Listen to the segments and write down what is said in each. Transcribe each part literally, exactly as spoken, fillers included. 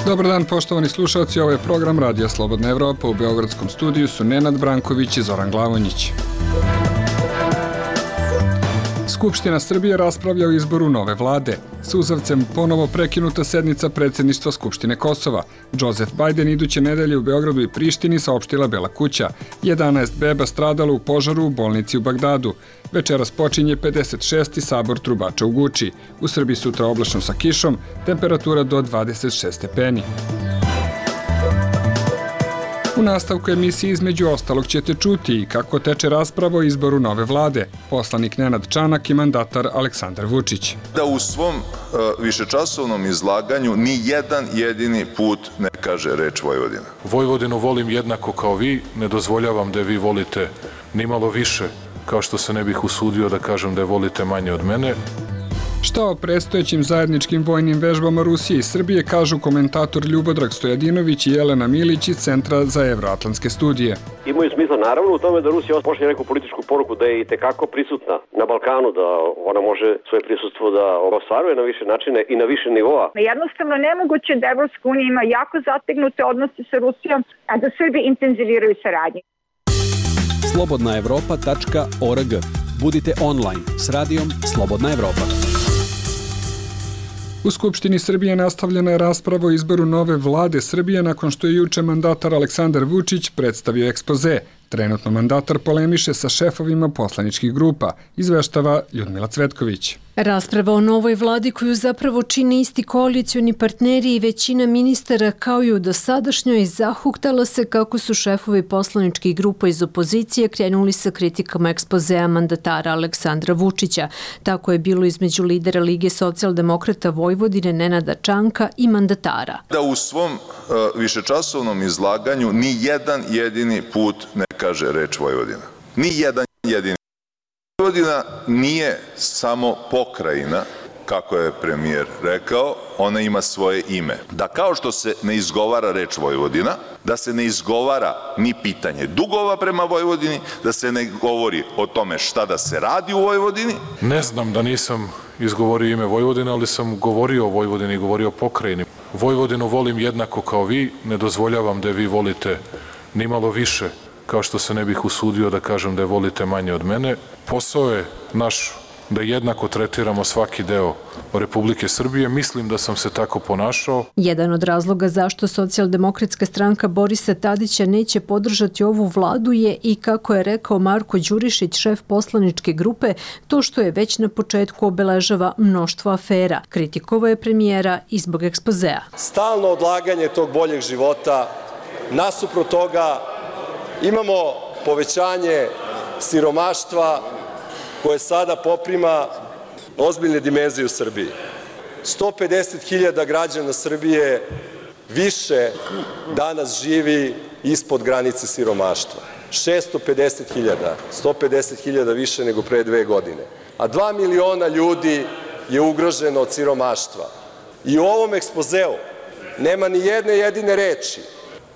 Dobar dan, poštovani slušalci, ovo je program Radija Slobodna Evropa. U beogradskom studiju su Nenad Branković i Zoran Glavonjić. Skupština Srbije raspravlja o izboru nove vlade. Suzavcem ponovo prekinuta sednica predsjedništva Skupštine Kosova. Joseph Biden iduće nedelje u Beogradu i Prištini, saopštila Bela kuća. jedanaest beba stradalo u požaru u bolnici u Bagdadu. Večeras počinje pedeset šesti sabor trubača u Guči. U Srbiji sutra oblačno sa kišom, temperatura do dvadeset šest stepeni. U nastavku emisije između ostalog ćete čuti i kako teče rasprava o izboru nove vlade, poslanik Nenad Čanak i mandatar Aleksandar Vučić. Da u svom uh, višečasovnom izlaganju ni jedan jedini put ne kaže reč Vojvodina. Vojvodinu volim jednako kao vi, ne dozvoljavam da je vi volite ni malo više, kao što se ne bih usudio da kažem da je volite manje od mene. Šta o predstojećim zajedničkim vojnim vežbama Rusije i Srbije kažu komentator Ljubodrag Stojadinović i Jelena Milić iz Centra za evroatlantske studije. Imaju smisla naravno u tome da Rusija pošalje neku političku poruku da je i tekako prisutna na Balkanu, da ona može svoje prisustvo da ostvaruje na više načine i na više nivoa. Jednostavno nemoguće da Evropska unija ima jako zategnute odnose sa Rusijom, a da Srbi intenziviraju saradnju. slobodna evropa tačka org. Budite online s radijom Slobodna Evropa. U Skupštini Srbije nastavljena je rasprava o izboru nove vlade Srbije nakon što je juče mandatar Aleksandar Vučić predstavio ekspoze. Trenutno mandatar polemiše sa šefovima poslaničkih grupa, izveštava Ljudmila Cvetković. Rasprava o novoj vladi koju zapravo čine isti koalicioni partneri i većina ministara kao i u dosadašnjoj zahuktala se kako su šefovi poslaničkih grupa iz opozicije krenuli sa kritikama ekspozea mandatara Aleksandra Vučića. Tako je bilo između lidera Lige socijaldemokrata Vojvodine Nenada Čanka i mandatara. Da u svom uh, višečasovnom izlaganju ni jedan jedini put ne kaže reč Vojvodina. Ni jedan jedini. Vojvodina nije samo pokrajina, kako je premijer rekao, ona ima svoje ime. Da kao što se ne izgovara reč Vojvodina, da se ne izgovara ni pitanje dugova prema Vojvodini, da se ne govori o tome šta da se radi u Vojvodini. Ne znam da nisam izgovorio ime Vojvodina, ali sam govorio o Vojvodini i govorio o pokrajini. Vojvodinu volim jednako kao vi, ne dozvoljavam da je vi volite ni malo više, kao što se ne bih usudio da kažem da je volite manje od mene. Posao je naš da jednako tretiramo svaki deo Republike Srbije. Mislim da sam se tako ponašao. Jedan od razloga zašto socijaldemokratska stranka Borisa Tadića neće podržati ovu vladu je i, kako je rekao Marko Đurišić, šef poslaničke grupe, to što je već na početku obeležava mnoštvo afera. Kritikovao je premijera i zbog ekspozea. Stalno odlaganje tog boljeg života, nasuprot toga imamo povećanje siromaštva koje sada poprima ozbiljne dimenzije u Srbiji. sto pedeset hiljada građana Srbije više danas živi ispod granice siromaštva. šesto pedeset hiljada, sto pedeset hiljada više nego pre dve godine. A dva miliona ljudi je ugroženo od siromaštva. I u ovom ekspozeu nema ni jedne jedine reči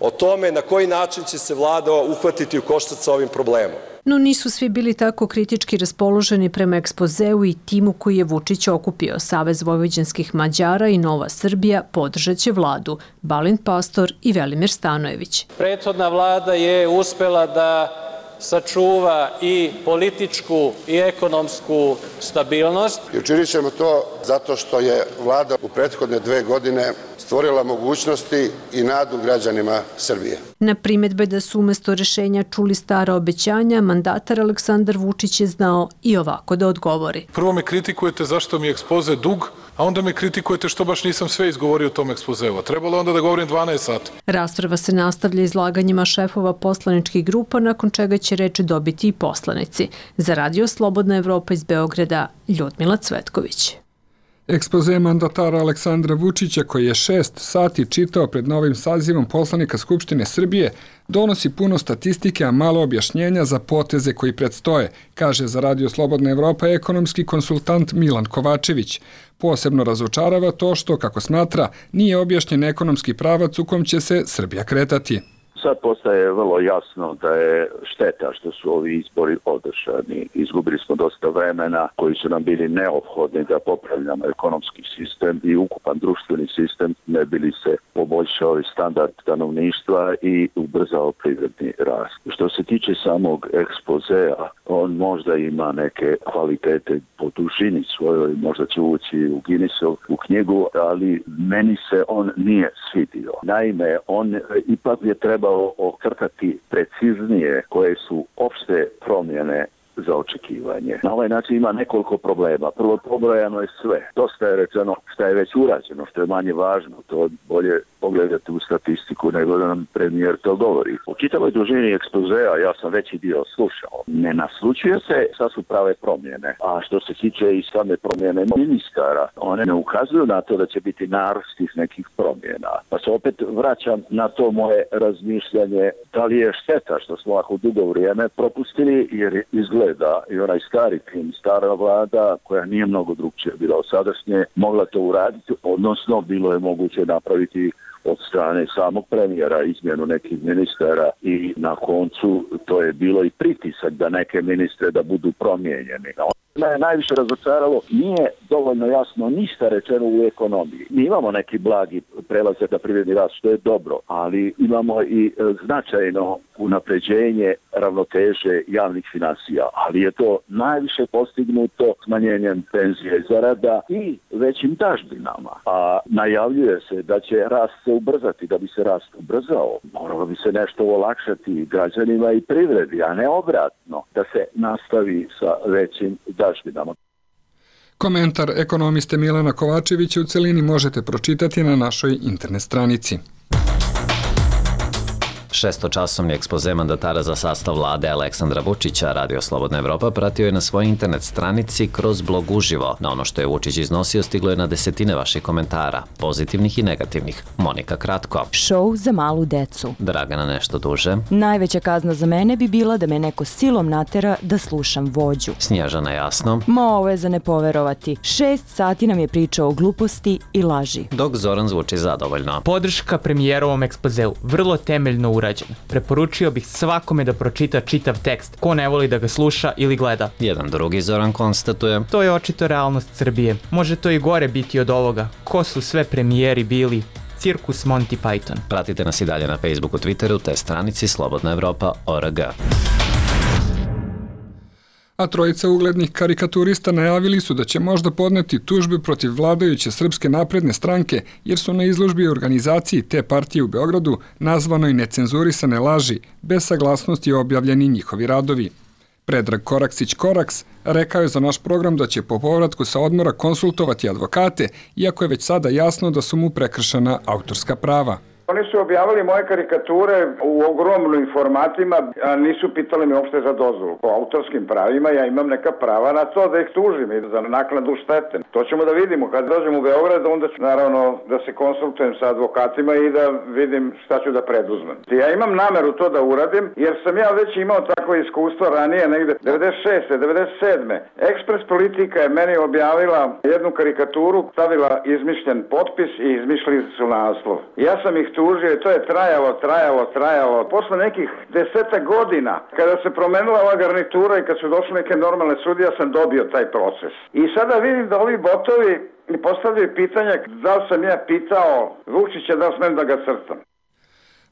o tome na koji način će se vlada uhvatiti u koštac sa ovim problemom. No nisu svi bili tako kritički raspoloženi prema ekspozeu i timu koji je Vučić okupio. Savez vojvođanskih Mađara i Nova Srbija podržat će vladu. Balint Pastor i Velimir Stanojević. Prethodna vlada je uspela da sačuva i političku i ekonomsku stabilnost. I učinit ćemo to zato što je vlada u prethodne dve godine stvorila mogućnosti i nadu građanima Srbije. Na primjedbe da su umesto rešenja čuli stara obećanja, mandatar Aleksandar Vučić je znao i ovako da odgovori. Prvo me kritikujete zašto mi je ekspoze dug, a onda me kritikujete što baš nisam sve izgovorio u tom ekspozeu. Trebalo onda da govorim dvanaest sati. Rasprava se nastavlja izlaganjima šefova poslaničkih grupa, nakon čega će reč dobiti i poslanici. Za Radio Slobodna Evropa iz Beograda, Ljudmila Cvetković. Ekspoze mandatara Aleksandra Vučića, koji je šest sati čitao pred novim sazivom poslanika Skupštine Srbije, donosi puno statistike, a malo objašnjenja za poteze koji predstoje, kaže za Radio Slobodna Evropa ekonomski konsultant Milan Kovačević. Posebno razočarava to što, kako smatra, nije objašnjen ekonomski pravac u kom će se Srbija kretati. sad postaje vrlo jasno da je šteta što su ovi izbori održani. Izgubili smo dosta vremena koji su nam bili neophodni da popravljamo ekonomski sistem i ukupan društveni sistem, ne bili se poboljšao i standard stanovništva i ubrzao privredni rast. Što se tiče samog ekspozea, on možda ima neke kvalitete po dužini svojoj, možda će ući u Guinnessov u knjigu, ali meni se on nije svidio. Naime, on ipak je trebao okrtati preciznije koje su opšte promjene za očekivanje. Na ovaj način ima nekoliko problema. Prvo, pobrojano je sve. Dosta je rečeno šta je već urađeno, što je manje važno. To bolje pogledati u statistiku nego da nam premijer to govori. U čitavoj dužini ekspozea ja sam veći dio slušao. Ne naslučuje se šta su prave promjene. A što se tiče i same promjene ministara, one ne ukazuju na to da će biti narast tih nekih promjena. Pa se opet vraćam na to moje razmišljanje da li je šteta što smo ovako dugo vrijeme propustili, jer izgleda i onaj stari tim, stara vlada koja nije mnogo drugčije bila od sadašnje, mogla to uraditi, odnosno bilo je moguće napraviti od strane samog premijera izmjenu nekih ministara i na koncu to je bilo i pritisak da neke ministre da budu promijenjeni. Me je najviše razočaralo, nije dovoljno jasno ništa rečeno u ekonomiji. Mi imamo neki blagi prelazak na privredni rast, što je dobro, ali imamo i značajno unapređenje ravnoteže javnih financija, ali je to najviše postignuto smanjenjem penzija i zarada i većim dažbinama. A najavljuje se da će rast se ubrzati. Da bi se rast ubrzao, moralo bi se nešto olakšati građanima i privredi, a ne obratno, da se nastavi sa većim dažbinama. Komentar ekonomiste Milana Kovačevića u celini možete pročitati na našoj internet stranici. Šestočasovni ekspoze mandatara za sastav vlade Aleksandra Vučića Radio Slobodna Evropa pratio je na svojoj internet stranici kroz blog uživo. Na ono što je Vučić iznosio stiglo je na desetine vaših komentara, pozitivnih i negativnih. Monika kratko. Šou za malu decu. Dragana nešto duže. Najveća kazna za mene bi bila da me neko silom natera da slušam vođu. Snježana jasno. Ma ovo je za ne poverovati. Šest sati nam je pričao o gluposti i laži. Dok Zoran zvuči zadovoljno. Podrška premijerovom ekspozeu. Vrlo temeljno urađen. Preporučio bih svakome da pročita čitav tekst, ko ne voli da ga sluša ili gleda. Jedan drugi Zoran konstatuje. To je očito realnost Srbije. Može to i gore biti od ovoga. Ko su sve premijeri bili? Cirkus Monty Python. Pratite nas i dalje na Facebooku, Twitteru te stranici Slobodna Evropa O R G. A trojica uglednih karikaturista najavili su da će možda podneti tužbe protiv vladajuće Srpske napredne stranke, jer su na izložbi organizaciji te partije u Beogradu nazvanoj necenzurisane laži, bez saglasnosti objavljeni njihovi radovi. Predrag Koraksić-Koraks rekao je za naš program da će po povratku sa odmora konsultovati advokate, iako je već sada jasno da su mu prekršena autorska prava. Oni su objavili moje karikature u ogromnim formatima, a nisu pitali me uopšte za dozvolu. Po autorskim pravima ja imam neka prava na to da ih tužim i za naknadu štete. To ćemo da vidimo. Kad dođem u Beograd, onda ću naravno da se konsultujem sa advokatima i da vidim šta ću da preduzmem. Ja imam nameru to da uradim, jer sam ja već imao takvo iskustvo ranije, negde devedeset šeste devedeset sedme Ekspres Politika je meni objavila jednu karikaturu, stavila izmišljen potpis i izmišljali su naslov. Ja sam ih tužio i to je trajalo, trajalo, trajalo. Posle nekih deseta godina, kada se promenila ova garnitura i kad su došli neke normalne sudije, ja sam dobio taj proces. I sada vidim da ovi botovi mi postavljaju pitanja da li sam ja pitao Vučića da li smem da ga crtam.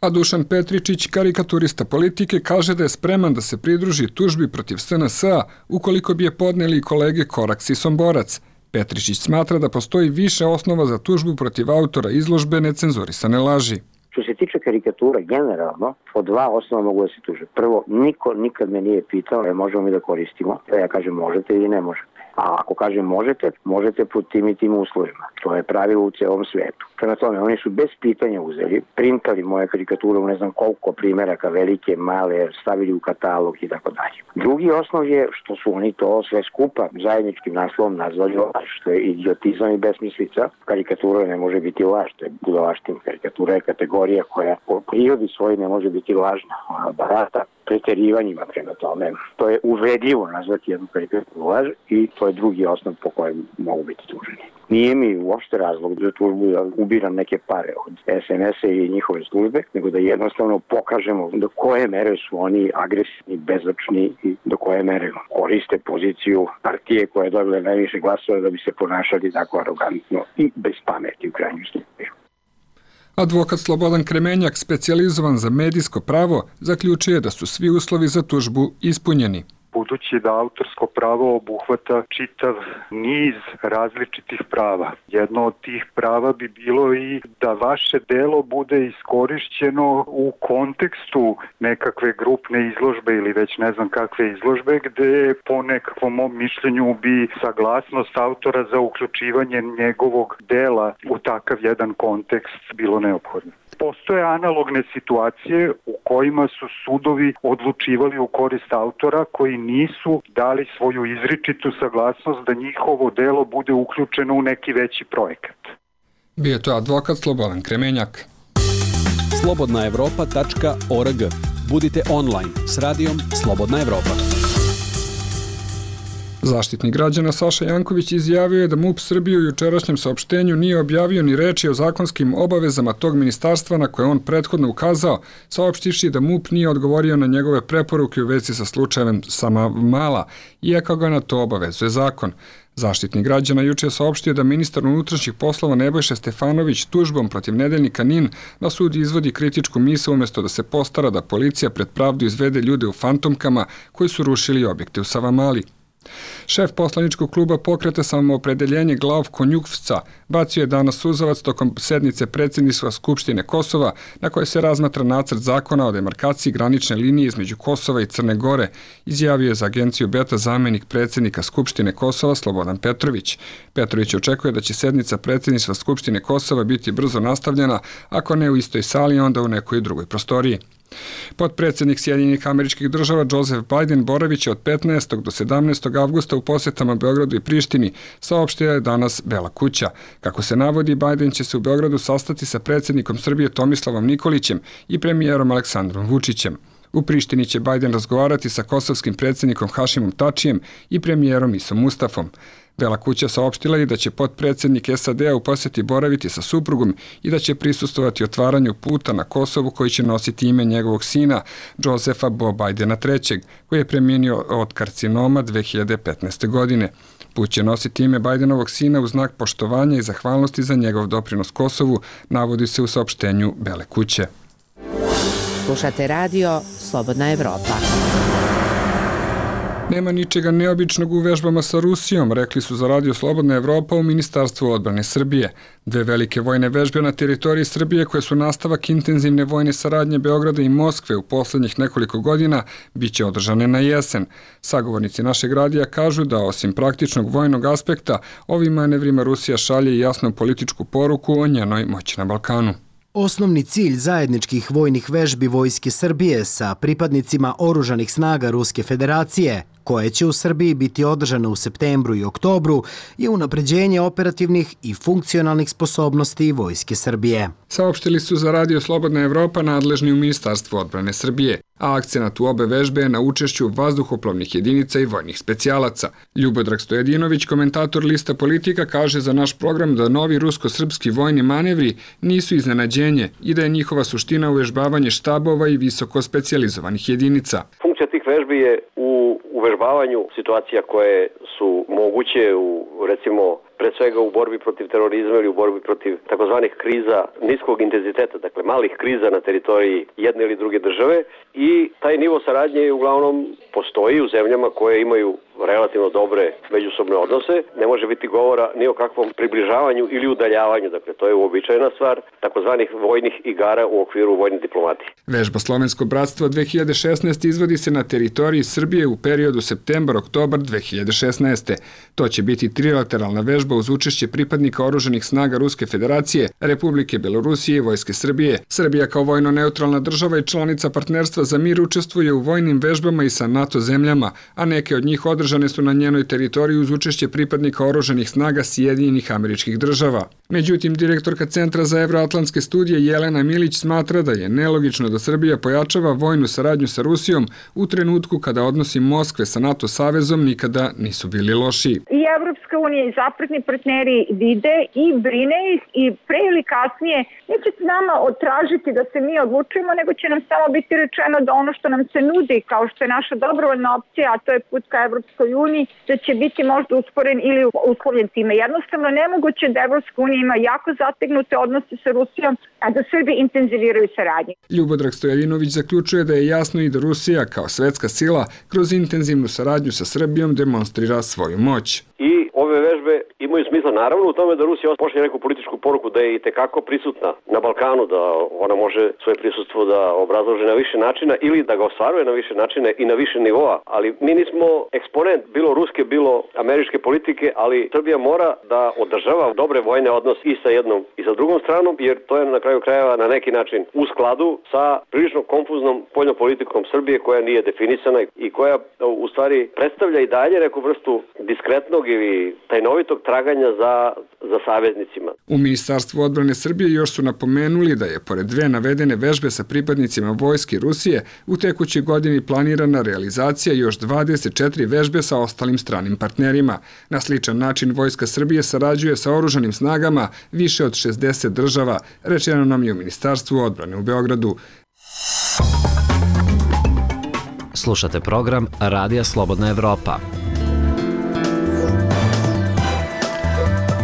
A Dušan Petričić, karikaturista Politike, kaže da je spreman da se pridruži tužbi protiv S N S-a ukoliko bi je podneli i kolege Koraks i Somborac. Petričić smatra da postoji više osnova za tužbu protiv autora izložbe necenzurisane laži. Što se tiče karikatura, generalno, po dva osnova mogu da se tuže. Prvo, niko nikad me nije pitao, e, možemo mi da koristimo. Ja kažem možete ili ne možete. A ako kažem možete, možete pod tim i tim uslovima. To je pravilo u celom svetu. Prema tome, oni su bez pitanja uzeli, printali moje karikature u ne znam koliko primjeraka, velike, male, stavili u katalog i tako dalje. Drugi osnov je što su oni to sve skupa zajedničkim naslovom nazvali laž, što je idiotizam i besmislica. Karikatura ne može biti laž, to je budalaština. Karikatura je kategorija koja po prirodi svoj ne može biti lažna. Ona barata preterivanjima prema tome. To je uvredljivo nazvati jednu preterivanu laž i to je drugi osnov po kojem mogu biti tuženi. Nije mi uopšte razlog za tužbu da ubiram neke pare od es en es-a i njihove službe, nego da jednostavno pokažemo do koje mere su oni agresivni, bezočni i do koje mere koriste poziciju partije koja je dobila najviše glasova da bi se ponašali tako arogantno i bez pameti u krajnjem slučaju. Advokat Slobodan Kremenjak, specijalizovan za medijsko pravo, zaključuje da su svi uslovi za tužbu ispunjeni. Budući da autorsko pravo obuhvata čitav niz različitih prava. Jedno od tih prava bi bilo i da vaše delo bude iskorišćeno u kontekstu nekakve grupne izložbe ili već ne znam kakve izložbe, gde po nekakvom mom mišljenju bi saglasnost autora za uključivanje njegovog dela u takav jedan kontekst bilo neophodno. Postoje analogne situacije u kojima su sudovi odlučivali u korist autora koji nisu dali svoju izričitu saglasnost da njihovo delo bude uključeno u neki veći projekat. Bio je to advokat Slobodan Kremenjak. slobodna evropa tačka org. Budite online s radijom Slobodna Evropa. Zaštitnik građana Saša Janković izjavio je da MUP Srbije u jučerašnjem saopštenju nije objavio ni reči o zakonskim obavezama tog ministarstva na koje on prethodno ukazao, saopštivši da MUP nije odgovorio na njegove preporuke u vezi sa slučajem Savamala, iako ga na to obavezuje zakon. Zaštitnik građana juče je saopštio da ministar unutrašnjih poslova Nebojša Stefanović tužbom protiv nedeljnika N I N na sud izvodi kritičku misao umjesto da se postara da policija pred pravdu izvede ljude u fantomkama koji su rušili objekte u Savamali. Šef poslaničkog kluba Pokreta Samoopredeljenje Glavko Njukvca bacio je danas suzavac tokom sednice predsjedništva Skupštine Kosova na kojoj se razmatra nacrt zakona o demarkaciji granične linije između Kosova i Crne Gore, izjavio je za agenciju Beta zamenik predsjednika Skupštine Kosova Slobodan Petrović. Petrović očekuje da će sednica predsjedništva Skupštine Kosova biti brzo nastavljena, ako ne u istoj sali, onda u nekoj drugoj prostoriji. Potpredsjednik Sjedinjenih Američkih Država Joseph Biden boraviće od petnaestog do sedamnaestog avgusta u posjetama Beogradu i Prištini, saopštila je danas Bela kuća. Kako se navodi, Biden će se u Beogradu sastati sa predsjednikom Srbije Tomislavom Nikolićem i premijerom Aleksandrom Vučićem. U Prištini će Biden razgovarati sa kosovskim predsjednikom Hašimom Tačijem i premijerom Isom Mustafom. Bela kuća saopštila je da će potpredsjednik es a de a u posjeti boraviti sa suprugom i da će prisustvovati otvaranju puta na Kosovu koji će nositi ime njegovog sina, Josefa Bo Bidena trećeg, koji je preminio od karcinoma dve hiljade petnaeste. godine. Put će nositi ime Bidenovog sina u znak poštovanja i zahvalnosti za njegov doprinos Kosovu, navodi se u saopštenju Bele kuće. Slušate radio Slobodna Evropa. Nema ničega neobičnog u vežbama sa Rusijom, rekli su za radio Slobodna Evropa u Ministarstvu odbrane Srbije. Dve velike vojne vežbe na teritoriji Srbije koje su nastavak intenzivne vojne saradnje Beograda i Moskve u poslednjih nekoliko godina bit će održane na jesen. Sagovornici našeg radija kažu da osim praktičnog vojnog aspekta, ovim manevrima Rusija šalje jasnu političku poruku o njenoj moći na Balkanu. Osnovni cilj zajedničkih vojnih vežbi Vojske Srbije sa pripadnicima oružanih snaga Ruske federacije, koje će u Srbiji biti održane u septembru i oktobru, je unapređenje operativnih i funkcionalnih sposobnosti Vojske Srbije. Saopštili su za radio Slobodna Evropa nadležni u Ministarstvu odbrane Srbije, a akcenat u obe vežbe je na učešću vazduhoplovnih jedinica i vojnih specijalaca. Ljubodrag Stojedinović, komentator Lista Politika, kaže za naš program da novi rusko-srpski vojni manevri nisu iznenađenje i da je njihova suština uvežbavanje štabova i visoko specijalizovanih jedinica. Funkcija tih vežbi je u uvežbavanju situacija koje su moguće u, recimo, pre svega u borbi protiv terorizma ili u borbi protiv takozvanih kriza niskog intenziteta, dakle malih kriza na teritoriji jedne ili druge države, i taj nivo saradnje uglavnom postoji u zemljama koje imaju relativno dobre međusobne odnose. Ne može biti govora ni o kakvom približavanju ili udaljavanju, dakle to je uobičajena stvar takozvanih vojnih igara u okviru vojne diplomatije. Vežba Slovensko bratstvo dve hiljade šesnaeste. izvodi se na teritoriji Srbije u periodu septembar-oktobar dve hiljade šesnaeste. To će biti trilateralna vežba uz učešće pripadnika oružanih snaga Ruske federacije, Republike Belorusije i Vojske Srbije. Srbija kao vojno neutralna država i članica partnerstva za mir učestvuje u vojnim vežbama i sa NATO zemljama, a neke od njih održane održane su na njenoj teritoriji uz učešće pripadnika oružanih snaga Sjedinjenih Američkih Država. Međutim, direktorka Centra za evroatlantske studije Jelena Milić smatra da je nelogično da Srbija pojačava vojnu saradnju sa Rusijom u trenutku kada odnosi Moskve sa NATO savezom nikada nisu bili lošiji. I Evropska unija i zapadni partneri vide i brine ih i pre ili kasnije neće nama otražiti da se mi odlučujemo, nego će nam samo biti rečeno da ono što nam se nudi, kao što je naša dobrovoljna opcija, a to je put ka Evropskoj uniji, da će biti možda usporen ili uslovljen time. Jednostavno nemoguće da Evropska unija ima jako zategnute odnose sa Rusijom, a da Srbi intenziviraju saradnju. Ljubodrag Stojalinović zaključuje da je jasno i da Rusija kao svetska sila kroz intenzivnu saradnju sa Srbijom demonstrira svoju moć. I ove vežbe imaju smisla naravno u tome da Rusija pošalje neku političku poruku da je i tekako prisutna na Balkanu, da ona može svoje prisustvo da obrazloži na više načina ili da ga ostvaruje na više načina i na više nivoa, ali mi nismo eksponent bilo ruske, bilo američke politike, ali Srbija mora da održava dobre vojne odnose i sa jednom i sa drugom stranom, jer to je na kraju krajeva na neki način u skladu sa prilično konfuznom spoljnom politikom Srbije koja nije definisana i koja u stvari predstavlja i dalje neku vrstu diskretnog ili tajnovitog traganja za, za saveznicima. U Ministarstvu odbrane Srbije još su napomenuli da je pored dve navedene vežbe sa pripadnicima vojske Rusije u tekućoj godini planirana realizacija još dvadeset četiri vežbe sa ostalim stranim partnerima. Na sličan način Vojska Srbije sarađuje sa oružanim snagama više od šezdeset država, rečeno nam je u Ministarstvu odbrane u Beogradu. Slušate program Radija Slobodna Evropa.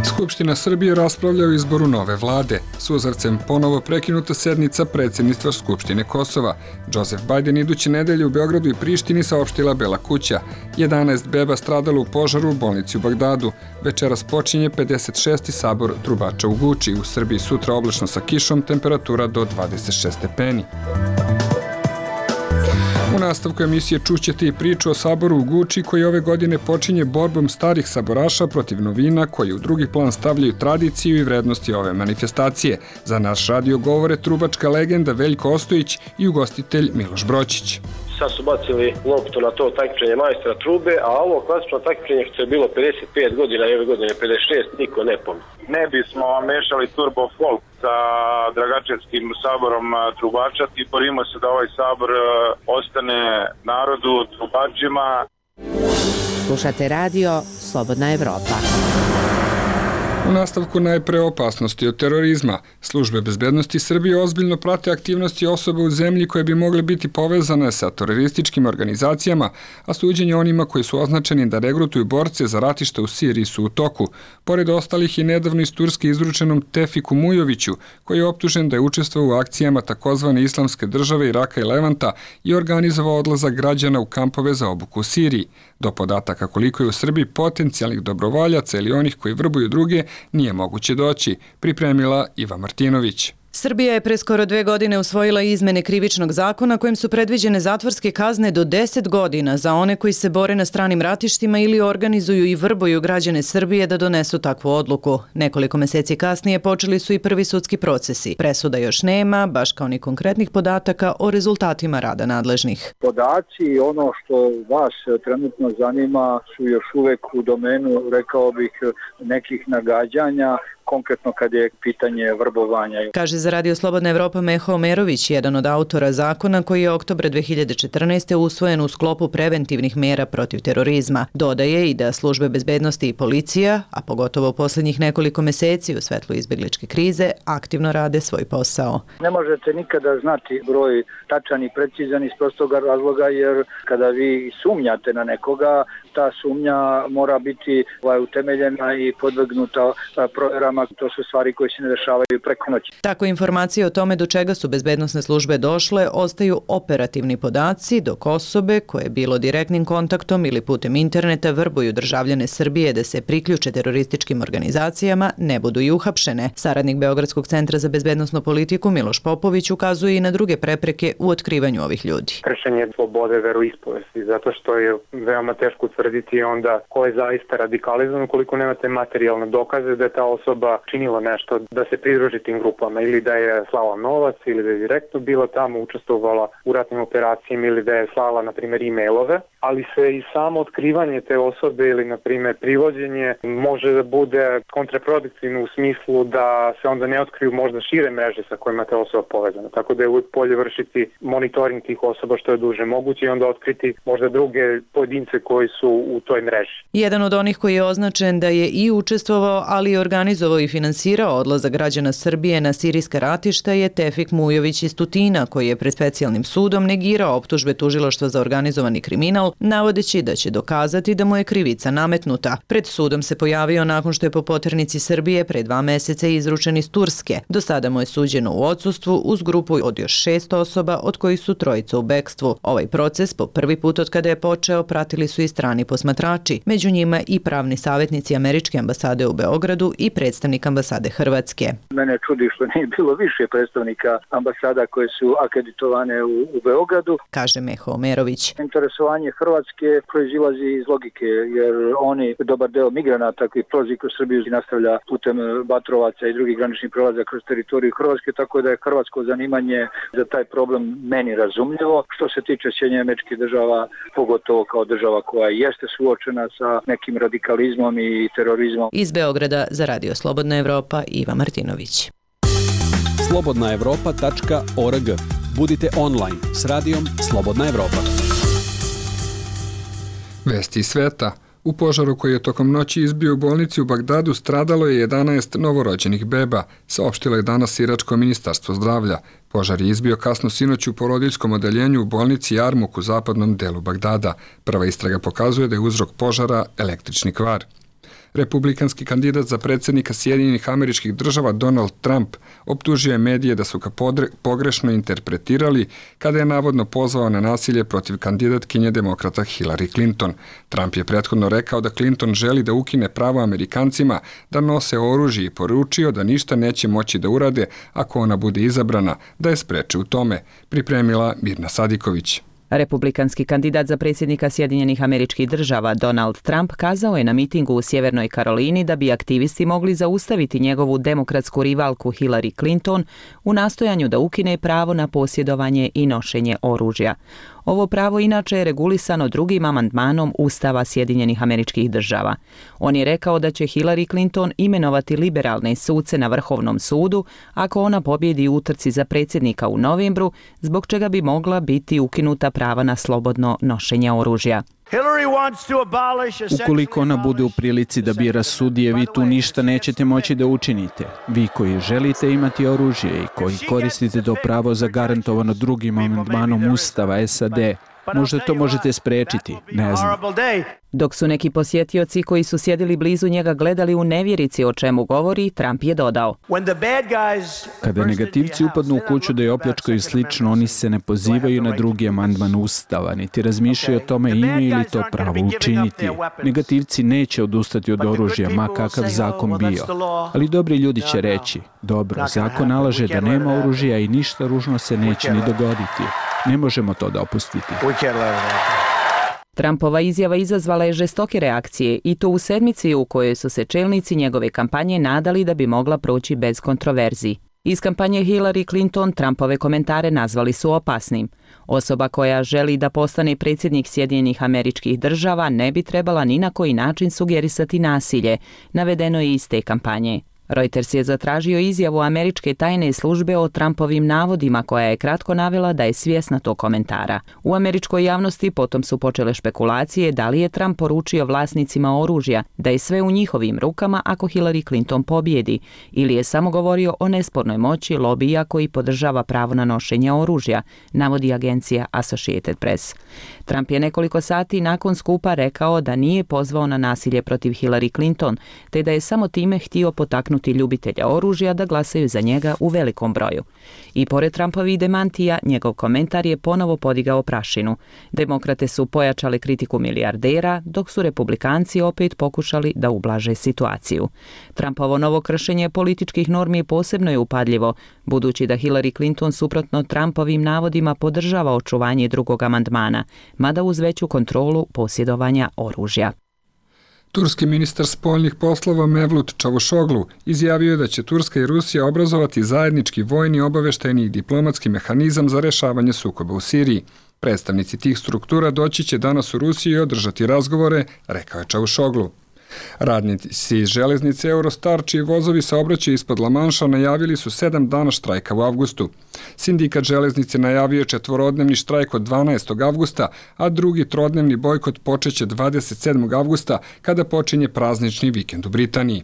Skupština Srbije raspravlja o izboru nove vlade. Suzavcem ponovo prekinuta sednica predsjedništva Skupštine Kosova. Joseph Biden iduće nedelje u Beogradu i Prištini saopštila Bela kuća. jedanaest beba stradalo u požaru u bolnici u Bagdadu. Večeras počinje pedeset šesti sabor trubača u Guči. U Srbiji sutra oblačno sa kišom, temperatura do dvadeset šest stepeni. U nastavku emisije čućete i priču o saboru u Guči koji ove godine počinje borbom starih saboraša protiv novina koji u drugi plan stavljaju tradiciju i vrednosti ove manifestacije. Za naš radio govore trubačka legenda Veljko Ostojić i ugostitelj Miloš Broćić. Sad su bacili loptu na to takmičenje majstora trube, a ovo klasično takmičenje što je bilo pedeset pet godina i ove godine pedeset šest, niko ne pomni. Ne bismo mešali turbo folk sa Dragačevskim saborom trubača i borimo se da ovaj sabor ostane narodu, trubačima. Slušate radio Slobodna Evropa. U nastavku najpre opasnosti od terorizma. Službe bezbednosti Srbije ozbiljno prate aktivnosti osoba u zemlji koje bi mogle biti povezane sa terorističkim organizacijama, a suđenje onima koji su označeni da regrutuju borce za ratište u Siriji su u toku. Pored ostalih i nedavno iz Turske izručenom Tefiku Mujoviću, koji je optužen da je učestvovao u akcijama takozvane Islamske države Iraka i Levanta i organizovao odlazak građana u kampove za obuku u Siriji. Do podataka koliko je u Srbiji potencijalnih dobrovoljaca ili onih koji vrbuju druge nije moguće doći, pripremila Iva Martinović. Srbija je pre skoro dve godine usvojila izmene krivičnog zakona kojim su predviđene zatvorske kazne do deset godina za one koji se bore na stranim ratištima ili organizuju i vrbuju građane Srbije da donesu takvu odluku. Nekoliko meseci kasnije počeli su i prvi sudski procesi. Presuda još nema, baš kao ni konkretnih podataka o rezultatima rada nadležnih. Podaci i ono što vas trenutno zanima su još uvek u domenu, rekao bih, nekih nagađanja, konkretno kad je pitanje vrbovanja. Kaže za Radio Slobodna Evropa Meho Omerović, jedan od autora zakona koji je oktobra dve hiljade četrnaeste. usvojen u sklopu preventivnih mera protiv terorizma. Dodaje i da službe bezbednosti i policija, a pogotovo u posljednjih nekoliko meseci u svetlu izbjegličke krize, aktivno rade svoj posao. Ne možete nikada znati broj tačan i precizan iz prostog razloga, jer kada vi sumnjate na nekoga, ta sumnja mora biti utemeljena i podvrgnuta provjerama. To su stvari koje se ne dešavaju preko noći. Tako informacije o tome do čega su bezbednosne službe došle ostaju operativni podaci, dok osobe koje bilo direktnim kontaktom ili putem interneta vrbuju državljane Srbije da se priključe terorističkim organizacijama ne budu i uhapšene. Saradnik Beogradskog centra za bezbednosnu politiku Miloš Popović ukazuje i na druge prepreke u otkrivanju ovih ljudi. Kršenje slobode veroispovesti, zato što je veoma teško utvrditi onda ko je zaista radikalizovan ukoliko nemate materijalne dokaze da je ta osoba osoba činila nešto da se pridruži tim grupama, ili da je slala novac, ili da je direktno bila tamo, učestvovala u ratnim operacijama, ili da je slala, na primjer, e-mailove, ali se i samo otkrivanje te osobe ili, na primjer, privođenje može da bude kontraproduktivno u smislu da se onda ne otkriju možda šire mreže sa kojima te osoba povezana. Tako da je uvijek bolje vršiti monitoring tih osoba što je duže moguće i onda otkriti možda druge pojedince koji su u toj mreži. Jedan od onih koji je označen da je i učestvovao, ali i organizovao i finansirao odlazak građana Srbije na sirijska ratišta je Tefik Mujović iz Tutina, koji je pred specijalnim sudom negirao optužbe tužilaštva za organizovani kriminal, navodeći da će dokazati da mu je krivica nametnuta. Pred sudom se pojavio nakon što je po poternici Srbije pre dva meseca izručen iz Turske. Do sada mu je suđeno u odsustvu uz grupu od još šest osoba, od kojih su trojica u bekstvu. Ovaj proces po prvi put od kada je počeo pratili su i strani posmatrači, među njima i pravni savjetnici Američke ambasade u Beogradu i predstavnik ambasade Hrvatske. Mene čudi što nije bilo više predstavnika ambasada koje su akreditovane u, u Beogradu, kaže Meho Omerović. Interesovanje Hrvatske proizilazi iz logike, jer oni, dobar deo migranata koji prolazi kroz Srbiju i nastavlja putem Batrovaca i drugih graničnih prelaza kroz teritoriju Hrvatske, tako da je hrvatsko zanimanje za taj problem meni razumljivo. Što se tiče Sjedinjenih Američkih Država, pogotovo kao država koja jeste suočena sa nekim radikalizmom i terorizmom. Iz Beograda za Radio Slobodna Evropa, Iva Martinović. slobodna evropa tačka org. Budite online s radijom Slobodna Evropa. Vesti iz sveta. U požaru koji je tokom noći izbio u bolnici u Bagdadu stradalo je jedanaest novorođenih beba, saopštilo je danas Iračko ministarstvo zdravlja. Požar je izbio kasno sinoć u porodiljskom odeljenju u bolnici Jarmuk u zapadnom delu Bagdada. Prva istraga pokazuje da je uzrok požara električni kvar. Republikanski kandidat za predsjednika Sjedinjenih Američkih Država Donald Trump optužio je medije da su ga pogrešno interpretirali kada je navodno pozvao na nasilje protiv kandidatkinje demokrata Hillary Clinton. Trump je prethodno rekao da Clinton želi da ukine pravo Amerikancima da nose oružje i poručio da ništa neće moći da urade ako ona bude izabrana, da je spreče u tome, pripremila Mirna Sadiković. Republikanski kandidat za predsjednika Sjedinjenih Američkih Država Donald Trump kazao je na mitingu u Sjevernoj Karolini da bi aktivisti mogli zaustaviti njegovu demokratsku rivalku Hillary Clinton u nastojanju da ukine pravo na posjedovanje i nošenje oružja. Ovo pravo inače je regulisano drugim amandmanom Ustava Sjedinjenih Američkih Država. On je rekao da će Hillary Clinton imenovati liberalne suce na Vrhovnom sudu ako ona pobjedi u utrci za predsjednika u novembru, zbog čega bi mogla biti ukinuta prava na slobodno nošenje oružja. Ukoliko ona bude u prilici da bira sudije, vi tu ništa nećete moći da učinite. Vi koji želite imati oružje i koji koristite to pravo zagarantovano drugim amandmanom Ustava S A D, možda to možete sprečiti, ne znam. Dok su neki posjetioci koji su sjedili blizu njega gledali u nevjerici o čemu govori, Trump je dodao: Kada negativci upadnu u kuću da je opljačkaju i slično, oni se ne pozivaju na drugi amandman Ustava, niti razmišljaju o tome imaju li to pravo učiniti. Negativci neće odustati od oružja, ma kakav zakon bio. Ali dobri ljudi će reći: dobro, zakon nalaže da nema oružja i ništa ružno se neće ni dogoditi. Ne možemo to dopustiti. Trumpova izjava izazvala je žestoke reakcije i to u sedmici u kojoj su se čelnici njegove kampanje nadali da bi mogla proći bez kontroverzi. Iz kampanje Hillary Clinton Trumpove komentare nazvali su opasnim. Osoba koja želi da postane predsjednik Sjedinjenih Američkih Država ne bi trebala ni na koji način sugerisati nasilje, navedeno je iz te kampanje. Reuters je zatražio izjavu američke tajne službe o Trumpovim navodima, koja je kratko navela da je svjesna tog komentara. U američkoj javnosti potom su počele špekulacije da li je Trump poručio vlasnicima oružja da je sve u njihovim rukama ako Hillary Clinton pobjedi, ili je samo govorio o nespornoj moći lobija koji podržava pravo na nošenje oružja, navodi agencija Associated Press. Trump je nekoliko sati nakon skupa rekao da nije pozvao na nasilje protiv Hillary Clinton, te da je samo time htio potaknuti ljubitelja oružja da glasaju za njega u velikom broju. I pored Trumpovih demantija, njegov komentar je ponovo podigao prašinu. Demokrate su pojačali kritiku milijardera, dok su republikanci opet pokušali da ublaže situaciju. Trumpovo novo kršenje političkih normi posebno je upadljivo, budući da Hillary Clinton suprotno Trumpovim navodima podržava očuvanje drugog amandmana, mada uz veću kontrolu posjedovanja oružja. Turski ministar spoljnih poslova Mevlut Čavušoglu izjavio je da će Turska i Rusija obrazovati zajednički vojni, obaveštajni i diplomatski mehanizam za rešavanje sukoba u Siriji. Predstavnici tih struktura doći će danas u Rusiju i održati razgovore, rekao je Čavušoglu. Radnici iz železnice Eurostar, čiji vozovi saobraćaju ispod Lamanša, najavili su sedam dana štrajka u avgustu. Sindikat železnice najavio je četvorodnevni štrajk od dvanaestog avgusta, a drugi trodnevni bojkot počeće dvadeset sedmog avgusta, kada počinje praznični vikend u Britaniji.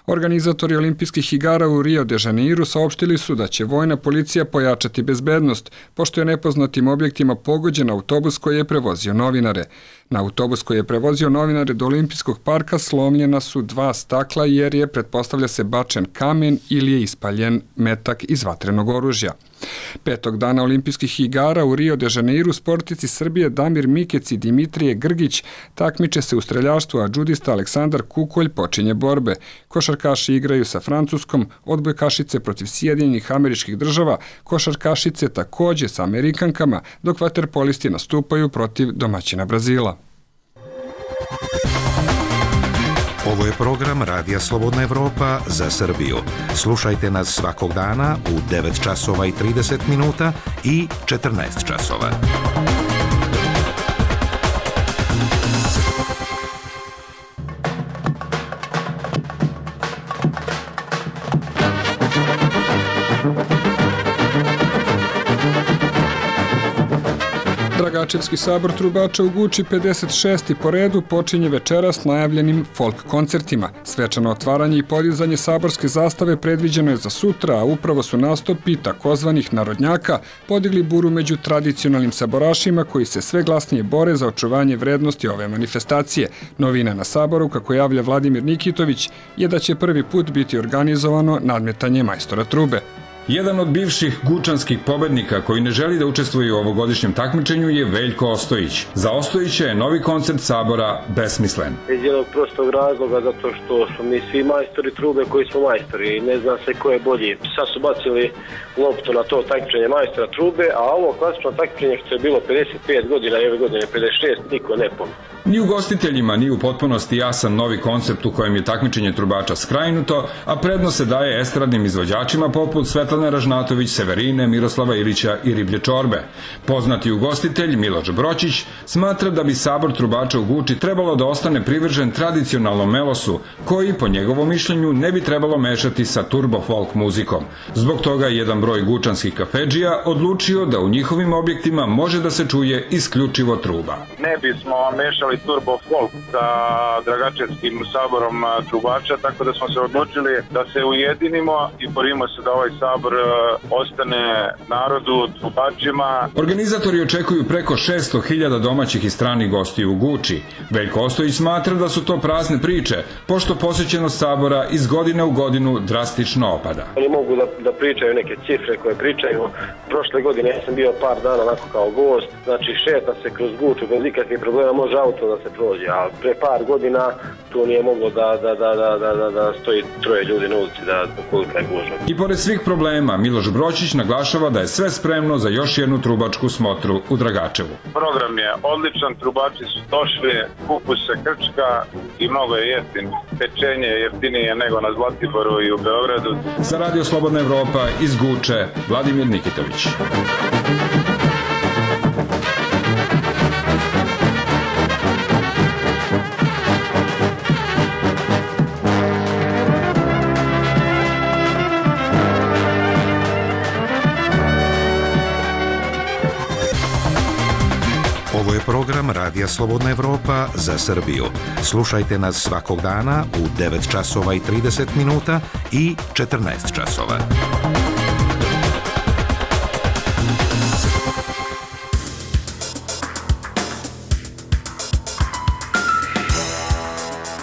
Organizatori olimpijskih igara u Rio de Janeiru saopštili su da će vojna policija pojačati bezbednost, pošto je nepoznatim objektima pogođen autobus koji je prevozio novinare. Na autobus koji je prevozio novinare do olimpijskog parka slomljena su dva stakla jer je, pretpostavlja se, bačen kamen ili je ispaljen metak iz vatrenog oružja. Petog dana olimpijskih igara u Rio de Janeiru sportici Srbije Damir Mikec i Dimitrije Grgić takmiče se u streljaštvu, a džudista Aleksandar Kukolj počinje borbe. Košarkaši igraju sa Francuskom, odbojkašice protiv Sjedinjenih Američkih Država, košarkašice takođe sa Amerikankama, dok vaterpolisti nastupaju protiv domaćina Brazila. Ovo je program Radija Slobodna Evropa za Srbiju. Slušajte nas svakog dana u devet časova i trideset minuta i četrnaest časova. Dragačevski sabor trubača u Guči, pedeset šesti po redu, počinje večeras najavljenim folk koncertima. Svečano otvaranje i podizanje saborske zastave predviđeno je za sutra, a upravo su nastupi takozvanih narodnjaka podigli buru među tradicionalnim saborašima koji se sve glasnije bore za očuvanje vrednosti ove manifestacije. Novina na saboru, kako javlja Vladimir Nikitović, je da će prvi put biti organizovano nadmetanje majstora trube. Jedan od bivših gučanskih pobednika koji ne želi da učestvuje u ovogodišnjem takmičenju je Veljko Ostojić. Za Ostojića je novi koncert sabora besmislen. Iz jednog prostog razloga, zato što smo mi svi majstori trube koji smo majstori i ne zna se ko je bolji. Sad su bacili loptu na to takmičenje majstora trube, a ovo klasično takmičenje što je bilo pedeset pet godina i ove godine pedeset šest, niko ne pomni. Ni ugostiteljima, ni u potpunosti jasan novi koncept u kojem je takmičenje trubača skrajnuto, a prednost se daje estradnim izvođačima poput Svetlane Ražnatović, Severine, Miroslava Ilića i Riblje čorbe. Poznati ugostitelj Miloš Broćić smatra da bi sabor trubača u Guči trebalo da ostane privržen tradicionalnom melosu, koji, po njegovom mišljenju, ne bi trebalo mešati sa turbo folk muzikom. Zbog toga je jedan broj gučanskih kafedžija odlučio da u njihovim objektima može da se čuje isključivo truba. Ne bismo mešali turbo folk sa Dragačevskim saborom trubača, tako da smo se odlučili da se ujedinimo i borimo se da ovaj sabor ostane narodu, trubačima. Organizatori očekuju preko šesto hiljada domaćih i stranih gostiju u Guči. Veljko Ostojić smatra da su to prazne priče, pošto posjećenost sabora iz godine u godinu drastično opada. Oni mogu da, da pričaju neke cifre koje pričaju. Prošle godine ja sam bio par dana onako kao gost, znači šeta se kroz Guču bez ikakvih problema, može auto da se prođe, a pre par godina tu nije moglo da, da, da, da, da, da stoji troje ljudi na ulici da kolika je gužva. I pored svih problema, Miloš Broćić naglašava da je sve spremno za još jednu trubačku smotru u Dragačevu. Program je odličan, trubači su došli, kupus se krčka i mnogo je jeftin. Pečenje je jeftinije nego na Zlatiboru i u Beogradu. Za Radio Slobodna Evropa iz Guče, Vladimir Nikitović. Ovo je program Radija Slobodna Evropa za Srbiju. Slušajte nas svakog dana u devet časova i trideset minuta i četrnaest časova.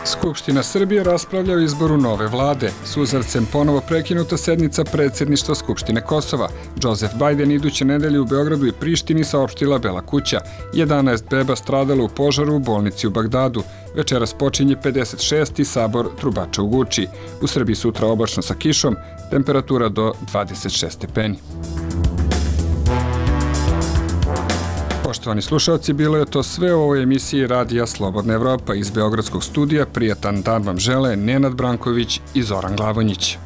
Skupština Srbije raspravlja o izboru nove vlade. Suzavcem ponovo prekinuta sednica predsjedništva Skupštine Kosova. Joseph Biden iduće nedelje u Beogradu i Prištini saopštila Bela kuća. jedanaest beba stradalo u požaru u bolnici u Bagdadu. Večeras počinje pedeset šesti sabor trubača u Guči. U Srbiji sutra oblačno sa kišom, temperatura do dvadeset šest stepeni. Poštovani slušalci, bilo je to sve u ovoj emisiji Radija Slobodna Evropa iz Beogradskog studija. Prijatan dan vam žele Nenad Branković i Zoran Glavonjić.